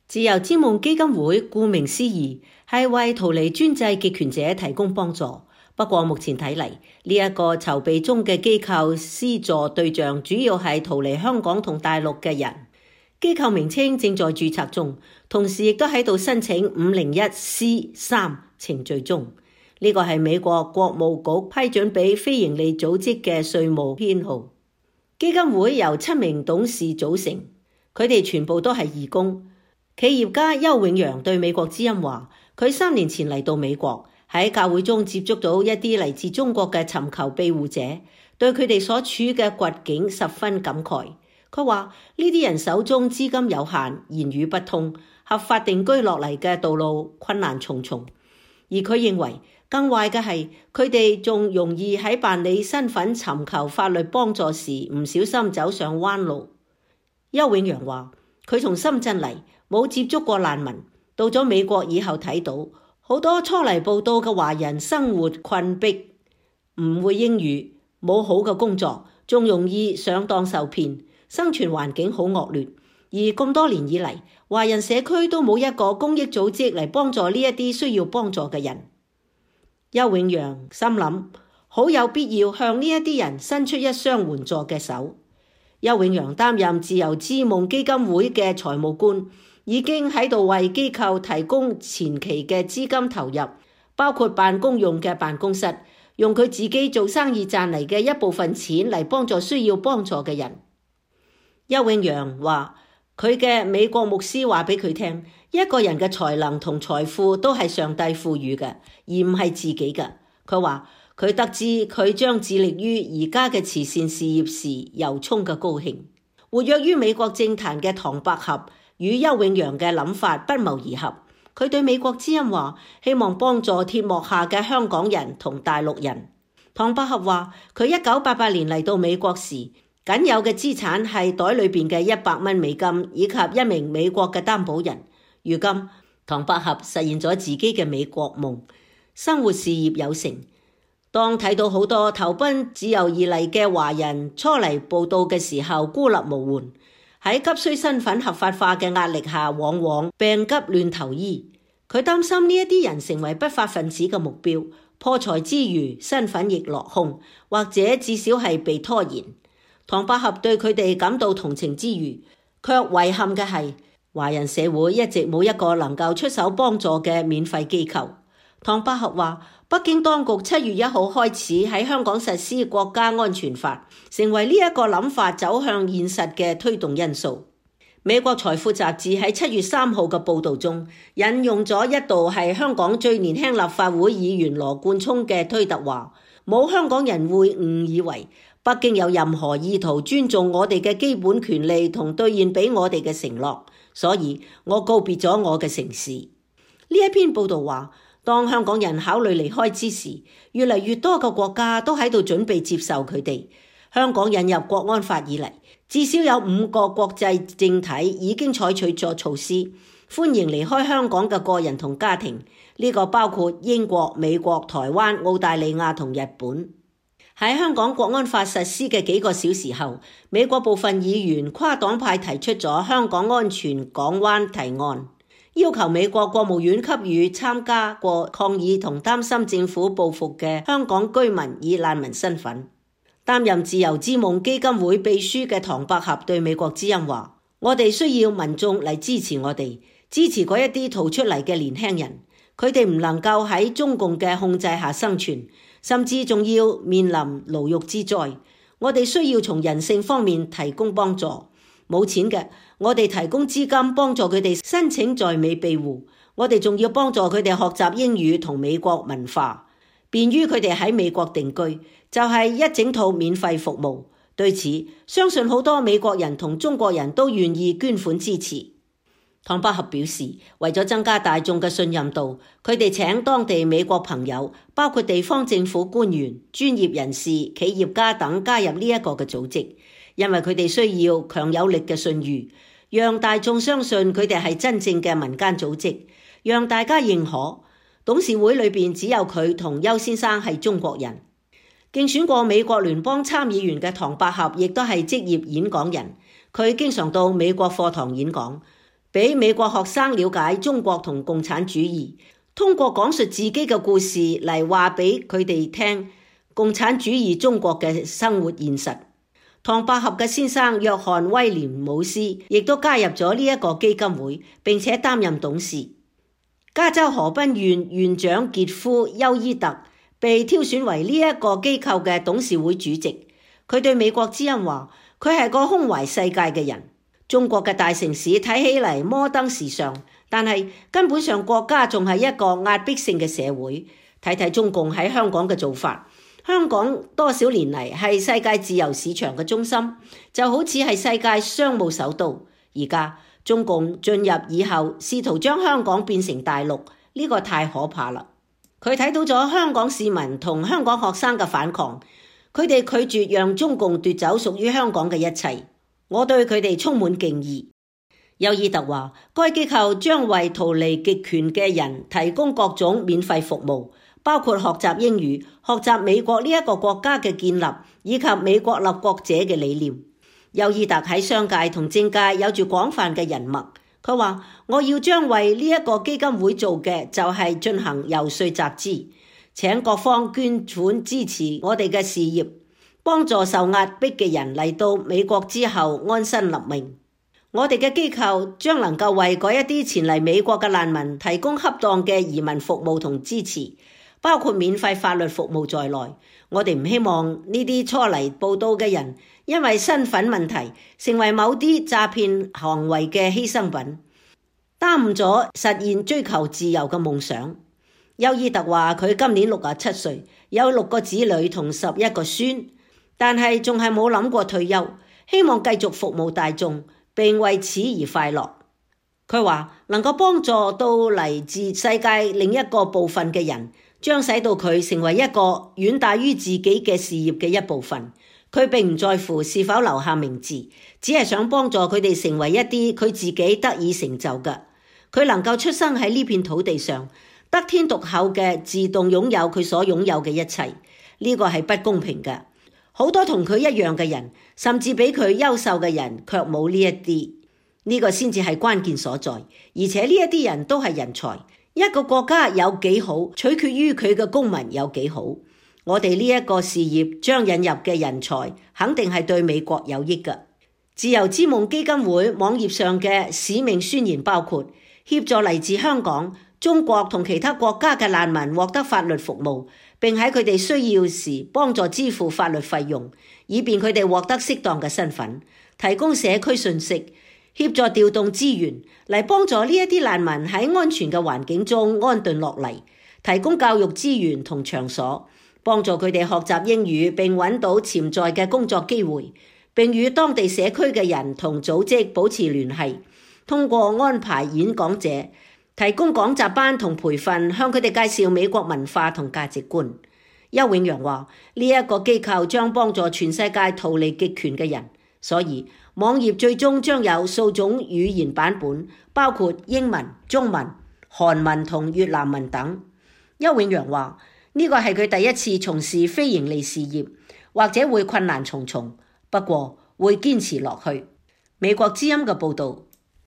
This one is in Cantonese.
自由之夢基金會顧名思義係為逃離專制極權者提供幫助。不過目前睇嚟，呢一個籌備中嘅機構施助對象主要係逃離香港同大陸嘅人。機構名稱正在註冊中，同時亦都喺度申請 501C3 程序中。呢個係美國國務局批准俾非營利組織嘅稅務編號。基金會由7名董事組成，佢哋全部都係義工。企業家邱永陽對美國之音話，佢3年前嚟到美國，喺教會中接觸到一啲嚟自中國嘅尋求庇護者，對佢哋所處嘅困境十分感慨。佢話呢啲人手中資金有限，言語不通，合法定居落嚟嘅道路困難重重。而佢認為更壞嘅係，佢哋仲容易喺辦理身份尋求法律幫助時唔小心走上彎路。邱永陽話，佢從深圳嚟，冇接觸過難民，到咗美國以後睇到好多初嚟報到嘅華人生活困迫，唔會英語，冇好嘅工作，仲容易上當受騙，生存環境好惡劣。而咁多年以嚟，華人社區都冇一個公益組織嚟幫助呢一啲需要幫助嘅人。邱永陽心諗，好有必要向呢一啲人伸出一雙援助嘅手。邱永陽擔任自由之夢基金會嘅財務官，已經喺度為機構提供前期嘅資金投入，包括辦公用嘅辦公室，用佢自己做生意賺嚟嘅一部分錢嚟幫助需要幫助嘅人。邱永陽話，佢嘅美國牧師話俾佢聽，一個人嘅才能同財富都係上帝賦予嘅，而唔係自己嘅。佢話佢得知佢將致力於而家嘅慈善事業時，由衷嘅高興。活躍於美國政壇嘅唐百合與邱永陽嘅諗法不謀而合。佢對美國之音話，希望幫助鐵幕下嘅香港人同大陸人。唐百合話，佢1988年嚟到美國時，僅有嘅資產係袋裏邊嘅100蚊美金，以及一名美國嘅擔保人。如今唐百合實現咗自己嘅美國夢，生活事業有成。當睇到好多投奔自由而嚟嘅華人初嚟報到嘅時候，孤立無援，喺急需身份合法化嘅壓力下，往往病急亂投醫。佢擔心呢一啲人成為不法分子嘅目標，破財之餘身份亦落空，或者至少係被拖延。唐百合對佢哋感到同情之餘，卻遺憾嘅係華人社會一直冇一個能夠出手幫助嘅免費機構。唐百合話，北京當局7月1號開始喺香港實施國家安全法，成為呢一個諗法走向現實嘅推動因素。美國財富雜誌喺7月3號嘅報導中，引用咗一度係香港最年輕立法會議員羅冠聰嘅推特話，冇香港人會誤以為北京有任何意圖尊重我哋嘅基本權利同兌現俾我哋嘅承諾，所以我告別咗我嘅城市。呢一篇報導話，當香港人考慮離開之時，越嚟越多嘅國家都喺度準備接受佢哋。香港引入國安法以嚟，至少有5個國際政體已經採取咗措施，歡迎離開香港嘅個人同家庭。呢個包括英國、美國、台灣、澳大利亞同日本。喺香港國安法實施嘅幾個小時後，美國部分議員跨黨派提出咗香港安全港灣提案，要求美國國務院給予參加過抗議同擔心政府報復嘅香港居民以難民身份。擔任自由之夢基金會秘書嘅唐百合對美國之音話，我哋需要民眾嚟支持我哋，支持嗰一啲逃出嚟嘅年輕人，佢哋唔能夠喺中共嘅控制下生存，甚至仲要面臨牢獄之災。我哋需要從人性方面提供幫助。冇錢嘅，我哋提供資金幫助佢哋申請在美庇護。我哋仲要幫助佢哋學習英語同美國文化，便於佢哋喺美國定居，就係一整套免費服務。對此，相信好多美國人同中國人都願意捐款支持。唐百合表示，為咗增加大眾嘅信任度，佢哋請當地美國朋友，包括地方政府官員、專業人士、企業家等加入呢一個嘅組織，因為佢哋需要強有力嘅信譽，讓大眾相信佢哋係真正嘅民間組織，讓大家認可。董事會裏邊只有佢同邱先生係中國人。競選過美國聯邦參議員嘅唐百合亦都係職業演講人，佢經常到美國課堂演講。俾美國學生了解中國同共產主義，通過講述自己嘅故事嚟話俾佢哋聽共產主義中國嘅生活現實。唐百合嘅先生約翰威廉姆斯亦都加入咗呢一個基金會，並且擔任董事。加州河濱縣縣長傑夫休伊特被挑選為呢一個機構嘅董事會主席。佢對美國之音話，佢係個胸懷世界嘅人。中國嘅大城市睇起嚟摩登時尚，但係根本上國家仲係一個壓迫性嘅社會。睇睇中共喺香港嘅做法，香港多少年嚟係世界自由市場嘅中心，就好似係世界商務首都。而家中共進入以後，試圖將香港變成大陸，呢個太可怕啦。佢睇到咗香港市民同香港學生嘅反抗，佢哋拒絕讓中共奪走屬於香港嘅一切。我對佢哋充滿敬意。休伊特話，該機構將為逃離極權嘅人提供各種免費服務，包括學習英語、學習美國呢一個國家嘅建立，以及美國立國者嘅理念。休伊特喺商界同政界有住廣泛嘅人脈。佢話，我要將為呢一個基金會做嘅就係進行遊說集資，請各方捐款支持我哋嘅事業，幫助受壓迫嘅人嚟到美國之後安身立命。我哋嘅機構將能夠為嗰一啲前嚟美國嘅難民提供恰當嘅移民服務同支持，包括免費法律服務在內。我哋唔希望呢啲初嚟報到嘅人因為身份問題成為某啲詐騙行為嘅犧牲品，耽誤咗實現追求自由嘅夢想。休伊特話，佢今年67歲，有6個子女同11個孫，但係仲係冇諗過退休，希望繼續服務大眾，並為此而快樂。佢話能夠幫助到嚟自世界另一個部分嘅人，將使到佢成為一個遠大於自己嘅事業嘅一部分。佢並唔在乎是否留下名字，只係想幫助佢哋成為一啲佢自己得以成就嘅。佢能夠出生喺呢片土地上，得天獨厚嘅自動擁有佢所擁有嘅一切，呢個係不公平嘅。好多同佢一樣嘅人，甚至比佢優秀嘅人，卻冇呢一啲。呢個先至係關鍵所在。而且呢一啲人都係人才。一個國家有幾好，取決於佢嘅公民有幾好。我哋呢一個事業將引入嘅人才，肯定係對美國有益嘅。自由之夢基金會網頁上嘅使命宣言包括協助嚟自香港、中國同其他國家嘅難民獲得法律服務，並喺佢哋需要時幫助支付法律費用，以便佢哋獲得適當嘅身份，提供社區信息，協助調動資源嚟幫助呢一啲難民喺安全嘅環境中安頓落嚟，提供教育資源同場所，幫助佢哋學習英語並揾到潛在嘅工作機會，並與當地社區嘅人同組織保持聯繫，通過安排演講者，提供講習班同培訓，向佢哋介紹美國文化同價值觀。邱永陽話，呢一個機構將幫助全世界逃離極權嘅人，所以網頁最終將有數種語言版本，包括英文、中文、韓文同越南文等。邱永陽話，呢個係佢第一次從事非營利事業，或者會困難重重，不過會堅持落去。美國之音嘅報導。